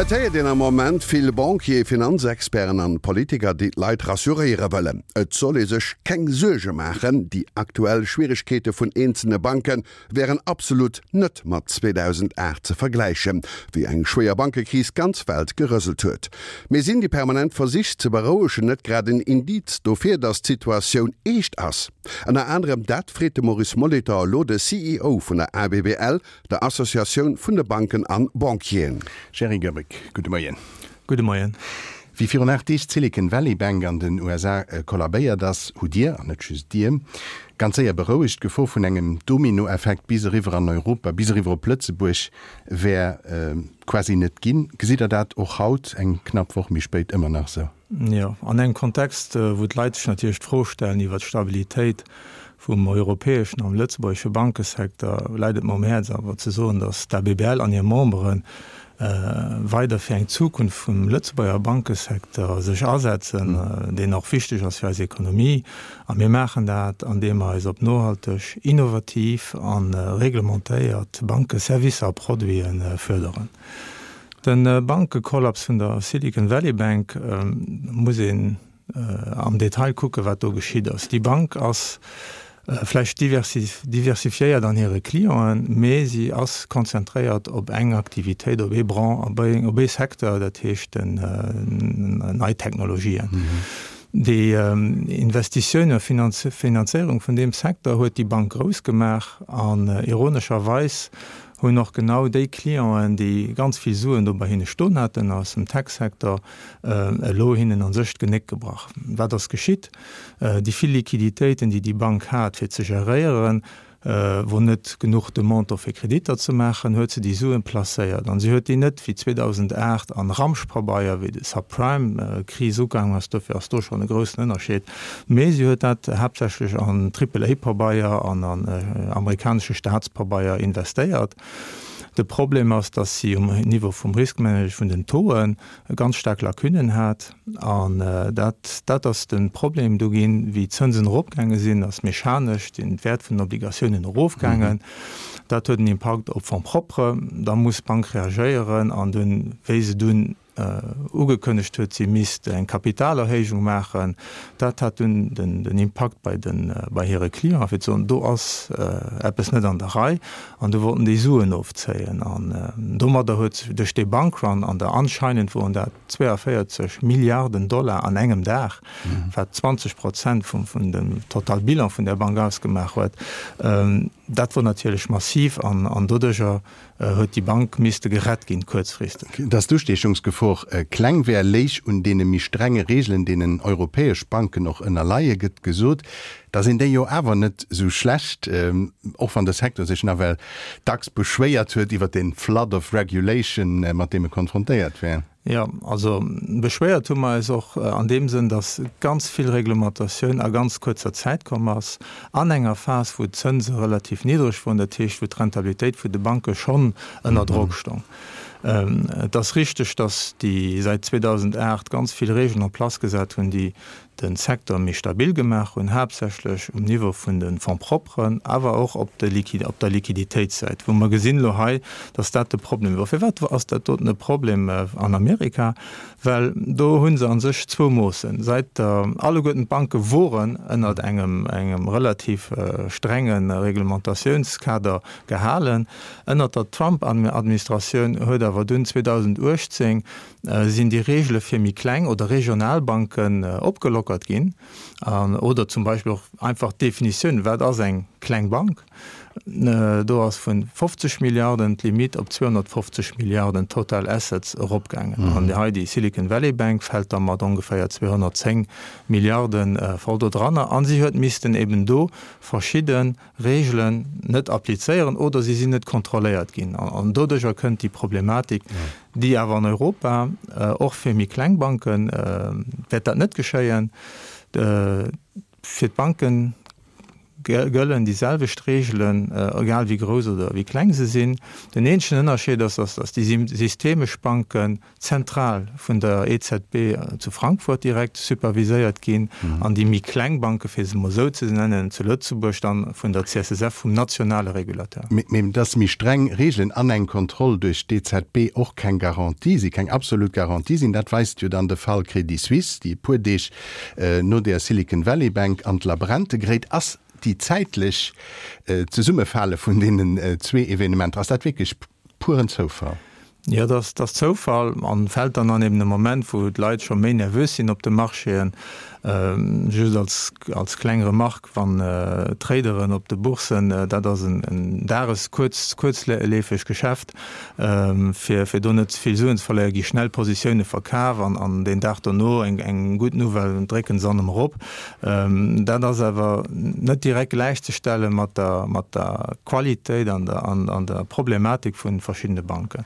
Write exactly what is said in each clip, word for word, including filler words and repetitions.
Et héiert een am Moment vill Banquier, Finanzexperten an Politiker, déi d'Leit rassuréiere wëllen. Et soll ee sech keng Suerge maachen, déi aktuell Schwieregkeete vun eenzelne Banke wären absolut net mat zweedausendacht ze vergläichen, wéi eng schwéier Bankekris d'ganz Welt gerëselt huet. Mee sinn déi permanent Versich ze berouegen net grad en Indiz dofir, datt d'Situatioun eescht ass? Ënner anerem dat freet de Maurice Molitor elo de C E O vun der A B B L, der Associatioun vun de Banken an Banquieren. Jerry Goerbeck, gudde Moien. Gudde Moien. Wéi virun aacht Deeg d'Silicon Valley Bank an den U S A kollabéiert ass, hutt Dir, an net just Dir, ganz séier berouegt. D'Gefor vun engem Dominoeffekt bis eriwwer an Europa, bis eriwwer op Lëtzebuerg wär quasi net ginn. Gesitt Der dat och haut, eng knapp Woch méi spéit, ëmmer nach sou? Jo, an engem Kontext, wou d'Leit sech natierlech d'Fro stellen iwwer d'Stabilitéit vum europäeschen an lëtzebuergesche Bankesecteur, läit et mer um Häerz awer ze soen, datt d'A B B L an hir Membere weider fir eng Zukunft vum Lëtzebuerger Bankesecteur sech asetzen, deen och wichteg ass fir eis Ekonomie. A mir maachen dat, andeem mer eis op nohalteg, innovativ a reglementéiert Bankeservicer a Produite fërderen. De Bankekollaps vun der Silicon Valley Bank muss een am Detail kucken, wat do geschitt ass. Déi Bank ass vläicht diversifiéiert an hire Clienten, mee si ass konzentréiert op eng Aktivitéit, op ee Branche, op ee Secteur, dat heescht den nei Technologien. Déi Investitioun a Finanzéierung vun deem Secteur huet déi Bank grouss gemaach an ironescherweis hunn och genau déi Clienten, déi ganz vill Suen do bei hinne stoen haten aus dem Tech-Secteur, elo hinnen a sech d'Genéck gebrach. Wat ass geschitt? Déi vill Liquiditéiten, déi déi Bank hat fir ze geréieren, wou net genuch Demande do fir Kreditter ze maachen, huet se déi Suen placéiert. An si huet déi net wéi zweedausendacht an Ramschpabeier, wéi de Subprime-Kris ugaangen ass, dofir ass do schonn e groussen Ënnerscheed, mee si huet dat haaptsächlech an Triple-A-Pabeier an an amerikanesche Staatspabeier investéiert. De Problem ass, dass si um Niveau vum Riskmanagement vun den Tauxen ganz staark Lacunnen hat an dat dat ass de Problem do ginn. Wéi d'Zënsen eropgaange sinn, ass mechanesch den Wäert vun den Obligatiounen erofgaangen. Dat huet en Impakt op Fonds propres. Da muss d'Bank reagéieren an dunn, wéi se dunn ugekënnegt huet, si misst eng Kapitalerhéijung maachen, dat hat dunn den den Impakt bei den bei hire Clienten, fir ze soen, do ass eppes net an der Rei, an du wollten déi Suen ofzéien. An domadder huet duerch dee Bankrun an der anscheinend woren dat zwéiavéierzeg Milliarden Dollar an engem Dag, wat zwanzeg Prozent vum vun dem Totalbilan vun der Bank ausgemaach huet, dat wor natierlech massiv an an doduercher huet déi Bank misste gerett ginn kuerzfristeg. Dass d'Ustiechungsgefor kleng wär, léich un deene méi strenge Reegelen, deenen europäesch Banken och ënnerleie, gëtt gesot. Da sinn déi jo awer net sou schlecht, och wann de Secteur sech nawell dacks beschwéiert huet iwwer den flood of regulation, mat deem e konfrontéiert wär. Jo, also beschwéiert hu mer eis och an deem Sënn, dass ganz vill Reglementatioun a ganz kuerzer Zäit komm ass, an enger Phas, wou d'Zënse relativ niddreg woren, dat heescht, wou d'Rentabilitéit vun de Banke schonn ënner Drock stong. Et ass richteg, dass déi säit zweedausendacht ganz vill Regeln en place gesat hunn, déi de Secteur méi stabil gemaach hunn, haaptsächlech um Niveau vun de Fonds propres, awer och op de op der Liquiditéitssäit, wou mer gesinn elo hei, dass dat de Problem wor. Firwat ass dat doten e Problem an Amerika? Well do hu se a sech zwou Moossen. Säit der alleguerten d'Banke woren ënnert engem engem relativ strenge Reglementatiounskader gehalen. Ënnert der Trump-Administratioun huet awer dunn zweedausenduechtzéng sinn déi Regele fir méi kleng oder regional Banken opgelockert ginn, oder zum Beispill och einfach d'Definitioun, wat ass eng kleng Bank, do ass vun fofzeg Milliarden d'Limite op zweehonnertfofzeg Milliarden total assets eropgaangen. An hei déi Silicon Valley Bank fält da mat ongeféier zweehonnertzéng Milliarden voll do dranner. An si huet missten eben do verschidde Regelen net applizéieren oder si sinn net kontrolléiert ginn. An doduercher kënnt déi Problematik, déi awer an Europa och fir méi kleng Banken wäert dat net geschéien. Fir d'Banken gëllen déi selwecht Reegelen, egal wéi grouss oder wéi kleng se sinn. Den eenzegen Ënnerscheed ass, dass déi systemesch Banken zentral vun der E Z B zu Frankfurt direkt superviséiert ginn an déi méi kleng Banken, fir se emol esou ze nennen, zu Lëtzebuerg dann vun der C S S F, vum nationale Regulateur. Mee dass méi streng Reegelen an eng Kontroll duerch d'E Z B och keng Garantie sinn, keng absolut Garantie sinn, dat weist jo dann de Fall Crédit Suisse, déi e puer Deeg no der Silicon Valley Bank an d'Labränte geréit ass. Déi zäitlech Zesummefale vun deenen zwee Evenementer, ass dat wierklech puren Zoufall? Jo, dat ass Zoufall an fält dann an eben e Moment, wou d'Leit scho méi nervös sinn op de Marchéen. Just als als kleng Remarque, wann Traderen op de Boursen, dat ass en dages-, kuerz-, kuerzleefeg Geschäft, fir fir do net ze vill Suen ze verléieren, gi schnell Positioune verkaf an an deen Dag dono eng eng gutt Nouvelle drécken se an erëm erop. Dat ass awer net direkt gläichzestelle mat der mat der Qualitéit an der an an der Problematik vu verschiddene Banken.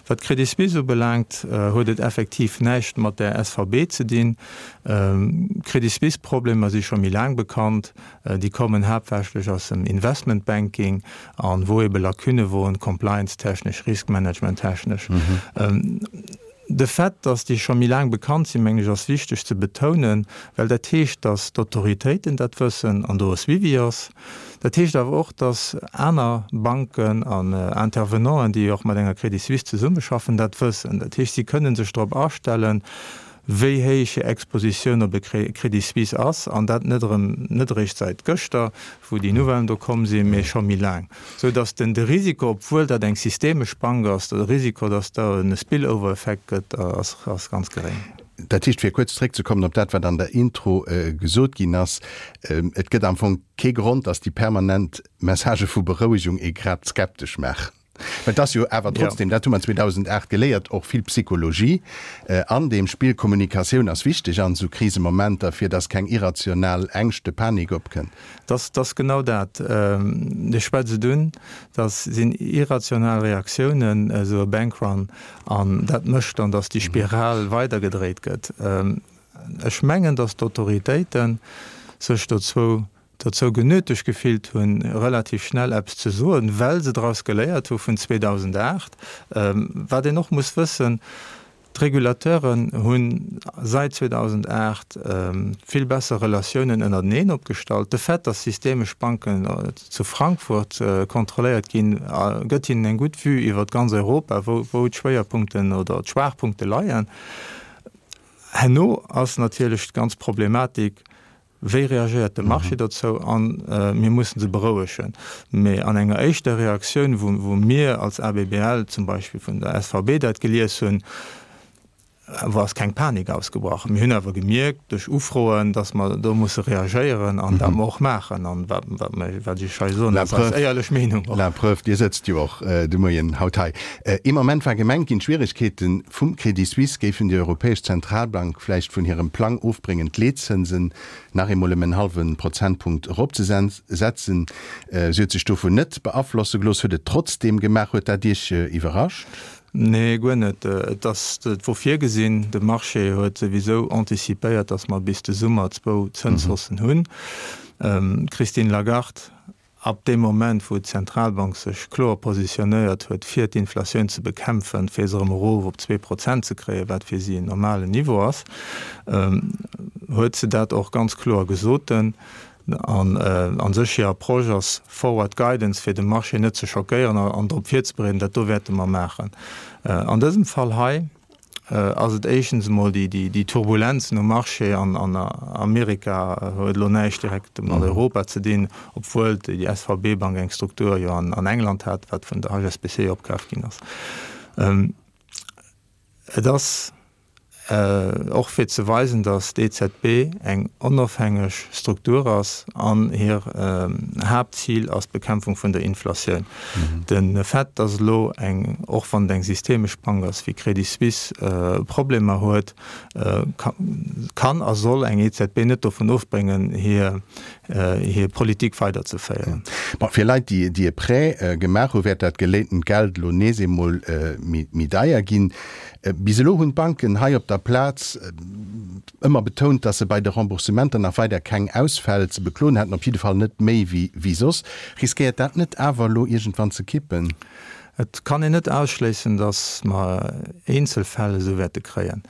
Wat d'Crédit Suisse ubelaangt, huet et effektiv näischt mat der S V B ze dinn. D'Crédit Suisse-Problemer si scho méi laang bekannt. Déi kommen haaptsächlech aus dem Investment Banking an wou ebe Lacunne woren, compliance-technesch, risk-management-technesch. De Fait, dass déi scho méi laang bekannt sinn, mengen ech, ass wichteg ze betounen, well dat heescht, dass d'Autoritéiten dat wëssen an do e Suivi ass. Dat heescht awer och, dass aner Banken an Intervenanten, déi och mat enger Credit Suisse zesummeschaffen, dat wëssen. Dat heescht, si kënnen sech drop astellen, wéi héich hir Expositioun op e Credit Suisse ass, an dat net erëm, net eréischt säit gëschter, wou déi Nouvellen do komm sinn, mee scho méi laang, sou dass den de Risiko, obwuel dat eng systemesch Bank ass, de Risiko, dass do e Spillover-Effekt gëtt, ass, ass ganz geréng. Dat heescht, fir kuerz zréckzekommen op dat, wat an der Intro gesot ginn ass, et gëtt am Fong kee Grond, dass déi permanent Messagë vu Berouegung ee grad skeptesch maachen. Well et ass jo awer trotzdem, dat hu mer zweedausendacht geléiert, och vill Psychologie an deem Spill. Kommunikatioun ass wichteg an esou Krisemomenter, fir dass keng irrational Ängschte, Panik opkënnt. Dat ass genau dat. Dir schwätzt et un, dat sinn irrational Reaktiounen, esou e Bankrun, an dat mécht dann, dass déi Spiral weidergedréit gëtt. Ech mengen, dass d'Autoritéite sech dozou dozou genötegt gefillt hunn, relativ schnell eppes ze soen, well se draus geléiert hu vun zweedausendacht. Wat een och muss wëssen, D'Regulateuren hu säit zweedausendacht vill besser Relatiounen ënnerteneen opgestallt. De Fait, datt systemesch Banken zu Frankfurt kontrolléiert ginn, gëtt hinnen eng gutt Vue iwwer ganz Europa, wou d'Schwéierpunkten oder d'Schwaachpunkte leien. Herno ass natierlech d'ganz Problematik, Wéi reagéiert de Marché dozou? A mir mussen se berouegen. Mee an enger éischter Reaktioun, wou mir als A B B L zum Beispill vun der S V B dat gelies hunn, wou ass keng Panik ausgebrach. Mir hunn awer gemierkt duerch Ufroen, datt mer do musse reagéieren an dat mer och maachen. An wat wat ech hei soen, ass eis éierlech Meenung och. La preuve, Dir sëtzt jo och de Moien haut hei. Ee Moment war gemengt ginn, d'Schwieregkeete vum Credit Suisse géifen déi Europäesch Zentralbank vläicht vun hirem Plang ofbréngen, d'Leetzënsen nach eemol ëm en hallwe Prozentpunkt eropzesetzen. Si huet sech dovun net beaflosse gelooss, huet et trotzdeem gemaach. Huet dat Iech iwwerrascht? Nee, guer net. Et ass, et wor virgesinn. De Marché huet souwisou anticipéiert, datt mer bis de Summer zwou Zënshaussen hunn. D'Christine Lagarde, ab deem Moment, wou d'Zentralbank sech kloer positionéiert huet, fir d'Inflatioun ze bekämpfen, fir se erëm erof op zwee Prozent ze kréien, wat fir si en normalen Niveau ass, huet se dat och ganz kloer gesoten. An a sech hir Approche ass Forward Guidance, fir de Marché net ze schockéieren an drop virzebereeden, dat do wäerte mer maachen. An dësem Fall hei ass et éischtens emol déi Turbulenzen um Marché an Amerika huet elo näischt direkt mat Europa ze dinn, obwuel déi S V B Bank eng Struktur jo an England hat, wat vun der H S B C opkaf ginn ass. Et ass och fir ze weisen, datt d'E Z B eng onofhängeg Struktur ass an hir Haaptzil ass d'Bekämpfung vun der Inflatioun. De Fait, datt elo eng, och wann et eng systemesch Bank ass wéi Credit Suisse, Problemer huet, kann a soll eng E Z B net dovun ofbréngen, hir hir Politik weiderzeféieren. Bon, fir Leit, déi déi e Prêt gemaach hu wäert dat geléintent Geld elo nees eemol méi deier ginn. Bis elo hunn d'Banken hei op der Plaz ëmmer betount, datt se bei de Remboursementer nach weider keng Ausfäll ze bekloen hätten, op jidde Fall net méi wéi soss. Riskéiert dat net awer elo iergendwann ze kippen? Et kann een net ausschléissen, datt mer eenzel Fäll esou wäerte kréien.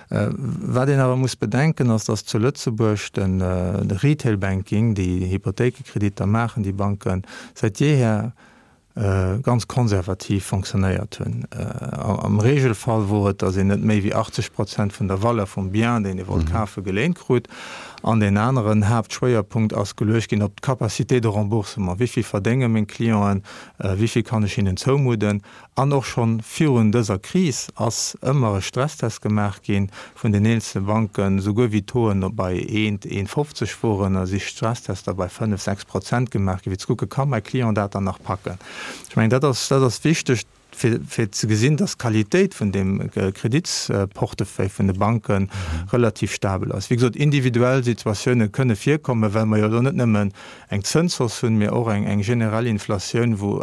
Wat een awer muss bedenken, ass, datt zu Lëtzebuerg de Retail Banking, déi Hypothéikekreditter maachen, déi Banken, säit jeeher ganz konservativ fonctionnéiert hunn. Am Regelfall wor et, datt een net méi wéi achtzeg Prozent vun der Valeur vum Bien, deen ee wollt kafen, geléint krut. An deen aneren Haaptschwéierpunkt ass geluecht ginn op d'Capacité de remboursement, Wéi vill verdénge meng Clienten, wéi vill kann ech hinnen zoumudden? An och schonn virun dëser Kris ass ëmmer e Stresstest gemaach gi vun den eenzele Banken. Souguer wéi d'Tauxen bei eent, eent fofzeg woren, si Stresstester bei fënnef, sechs Prozent gemaach ginn, fir ze kucken, Ka mäi Client dat dann nach packen? Ech mengen, dat ass, dat ass wichteg, fir, fir ze gesinn, dass d'Qualitéit vun deem Kreditsportefeuille vun de Banke relativ stabel ass. Wéi gesot, individuell Situatioune kënne virkommen, well mer jo elo net nëmmen eng Zënshausse hunn, mee och eng, eng generell Inflatioun, wou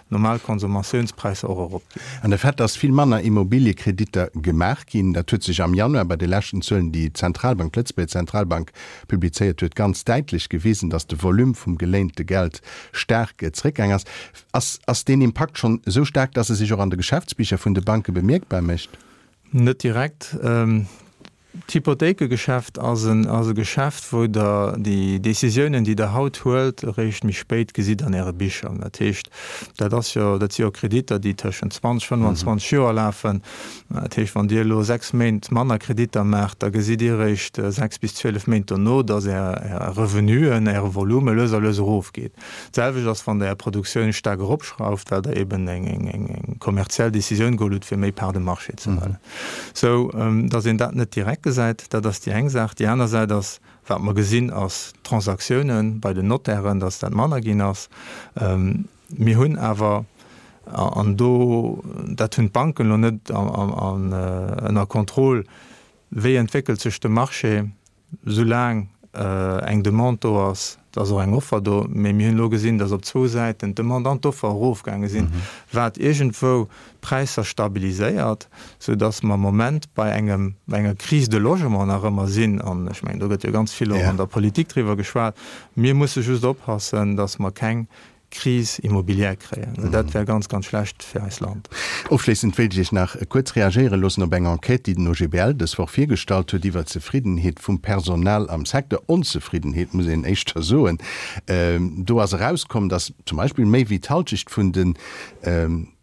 normal Consommatiounspräisser och eropginn. An de Fait, dass vill manner Immobiliekreditter gemaach ginn, dat huet sech am Januar bei de leschten Zuelen, déi d'Zentralbank, d'Lëtzebuerger Zentralbank, publizéiert huet, ganz däitlech gewisen, dass de Volume vum geléinte Geld staark zeréckgaang ass. Ass ass deen Impakt schonn esou staark, dass e sech och an de Geschäftsbicher vun de Banke bemierkbar mécht? Net direkt. D'Hypothéikegeschäft ass en ass e Geschäft, wou Der déi Décisiounen, déi Der haut huelt, eréischt méi spéit gesitt an Äre Bicher. Dat heescht, dat ass jo, dat si jo Kreditter, déi tëschent zwanzeg, fënnwanzwanzeg Joer lafen. Dat heescht, wann Dir elo sechs Méint manner Kreditter maacht, da gesitt Dir eréischt sechs bis zwielef Méint dono, dass Är Är Revenuen, Äre Volume lues a lues erofgeet. D'selwecht ass, wann Der Är Produktioun staark eropschrauft, well Der eben eng eng eng kommerziell Décisioun geholl hutt, fir méi Part de marché ze huelen. Sou dass een dat net direkt gesäit, dat ass déi eng Saach. Déi aner Säit ass, wat mer gesinn, ass d'Transaktiounen bei den Notairen, dass dat manner ginn ass. Mir hunn awer, an do, dat hunn d'Banken elo net ënner Contrôle, wéi entwéckelt sech de Marché, soulaang eng Demande do ass, et ass och eng Offer do, mee mir hunn elo gesinn, datt op zwou Säiten d'Demande an d'Offer erofgaange sinn, wat iergendwou d'Präisser stabiliséiert, soudatt mer am Moment bei engem, bei enger Crise de logement nach ëmmer sinn. An ech mengen, do gëtt jo ganz vill och an der Politik driwwer geschwat. Mir musse just oppassen, datt mer keng Crise immobilière kréien. Dat wär ganz, ganz schlecht fir eist Land. Ofschléissend wéilt ech Iech nach kuerz reagéiere loossen op eng Enquête, déi den O G B L dës Woch virgestallt huet iwwer d'Zefriddenheet vum Personal am Secteur. Onzefriddenheet, muss een éischter soen. Do ass erauskomm, datt zum Beispill méi wéi d'Halschecht vun de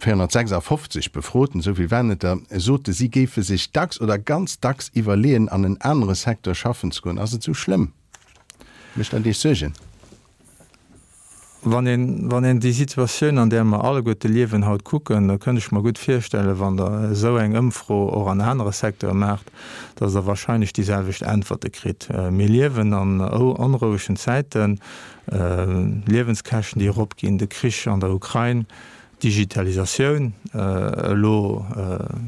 véierhonnertsechsafofzeg Befroten, esou vill waren et der, sote si géife sech dacks oder ganz dacks iwwerleeën, an en anere Secteur schaffen ze goen. Ass et esou schlëmm? Mécht dat Iech Suergen? Wann een, wann een déi Situatioun, an där mer alleguerte liewen, haut kucken, da kënnt ech mer gutt virstellen, wann Der esou eng Ëmfro och an anere Secteure maacht, dass Der wahrscheinlech déi selwecht Äntwerte kritt. Mir liewen an onrouegen Zäiten, Liewenskäschten, déi eropginn, de Krich an der Ukrain, Digitalisatioun elo,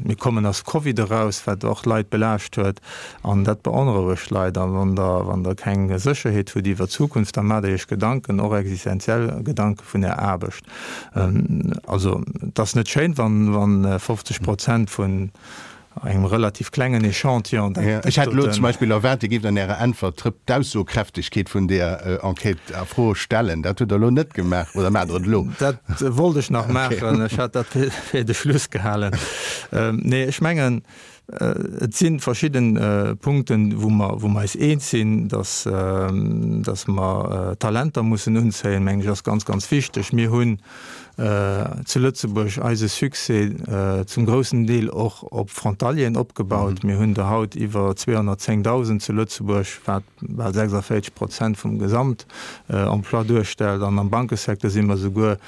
mir kommen aus Covid eraus, wat och Leit belaascht huet, an dat beonrouegt Leit. A wann Der, wann Der keng Sécherheet hutt iwwer d'Zukunft, da maacht Der Iech Gedanken, och existenziell Gedanke vun Är Aarbecht. Also et ass net schéin, wann, wann fofzeg Prozent vun engem relativ klengen Echantillon dat Ech hätt elo zum Beispill erwaart, Dir géift an Ärer Äntwert d'Rëpp d'Aussokräftegkeet vun där Enquête a Fro stellen. Dat hutt Der elo net gemaach, oder maacht Der et elo? Dat wollt ech nach maachen. Ech hat dat fir de Schluss gehalen. Nee, ech mengen, et si verschidde Punkten, wou mer, wou mer eis eens sinn, dass, dass mer Talenter mussen unzéien, mengen ech, ass ganz, ganz wichteg. Mir hunn zu Lëtzebuerg eise Succès zum groussen Deel och op Frontalieren opgebaut. Mir hunn der haut iwwer zweehonnertzéngdausend zu Lëtzebuerg, wat bal sechsundvéierzeg Prozent vum Gesamtemploi duerstellt. An am Bankesecteur si mer souguer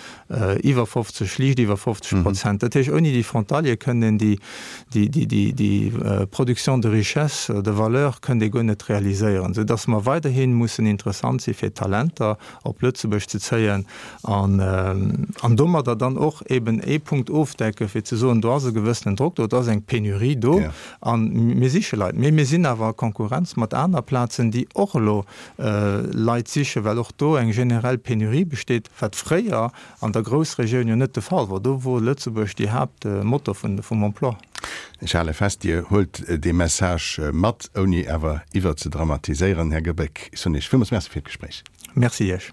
iwwer fofzeg, liicht iwwer fofzeg Prozent. Dat heescht, ouni déi Frontaliere kënnt een déi, déi, déi, déi Production de richesse, de valeur kënnt ee guer net realiséieren, soudass mer weiderhi mussen interessant si fir Talenter op Lëtzebuerg ze zéien. An, an domadder dann och eben ee Punkt ofdecke fir ze soen, do ass e gewëssenen Drock do, et ass eng Penurie do a mir siche Leit. Mee mir sinn awer a Konkurrenz mat aner Plazen, déi och elo Leit sichen, well och do eng generell Penurie besteet, wat fréier an der Groussregioun jo net de Fall wor. Do wor Lëtzebuerg déi Haaptmotor vum Emploi. Ech hale fest, Dir huelt dee Message mat, ouni awer iwwerzedramatiséieren. Här Goebbek, ech soen Iech villmools Merci fir d'Gespréich. Merci Iech.